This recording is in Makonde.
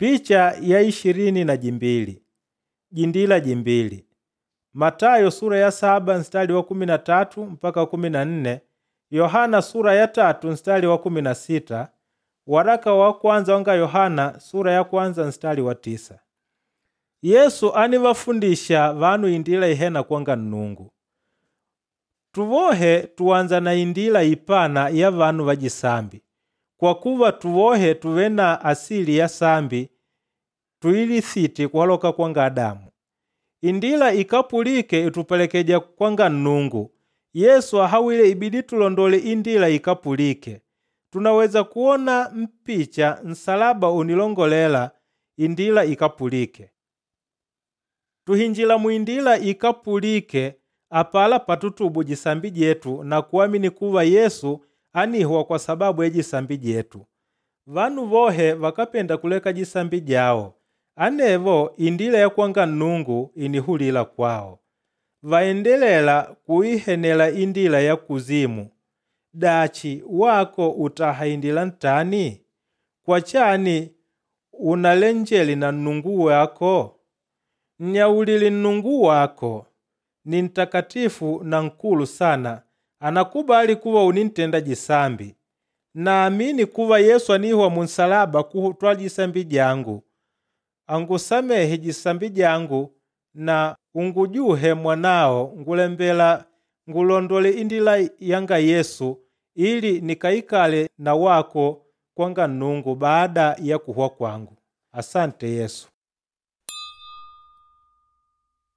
Picha ya 22 jindila jimbili. Matayo sura ya 7 mstari wa 13 mpaka 14, Yohana sura ya 3 mstari wa 16, waraka wa kwanza wanga Yohana sura ya kwanza mstari wa 9. Yesu anivafundisha vanu indila ihena kwanga Nnungu. Tuvohe tuwanza na indila ipana ya vanu vajisambi, kwa kuva tuvohe tuve na asili ya sambi tuilisiti kuhaloka kwanga Adamu. Indila ikapulike itupelekeja kwanga Nnungu. Yesu ahawile ibidi tulondole indila ikapulike. Tunaweza kuona mpicha nsalaba unilongolela indila ikapulike. Tuhinjila muindila ikapulike apala patutubu jisambi jetu na kuamini kuva Yesu anihwa kwa sababu ya jisambi jetu. Vanu vohe vakapenda kuleka jisambi jawo, anevo indila ya kwanga Nnungu inihulila kwao. Vaendelela kuihenela indila ya kuzimu. Dachi wako utaha indila ntani? Kwa chani unalenjeli na Nnungu wako? Nnyaulile Nnungu wako ni ntakatifu na nkulu sana, anakubali kuva unintenda jisambi. Naamini kuva Yesu anihwa munsalaba kutwala jisambi jangu. Angusamehe jisambi jangu na ungujuhe mwanao ngulembela ngulondole indila yanga Yesu ili nikaikale na wako kwanga Nnungu baada ya kuhwa kwangu. Asante Yesu.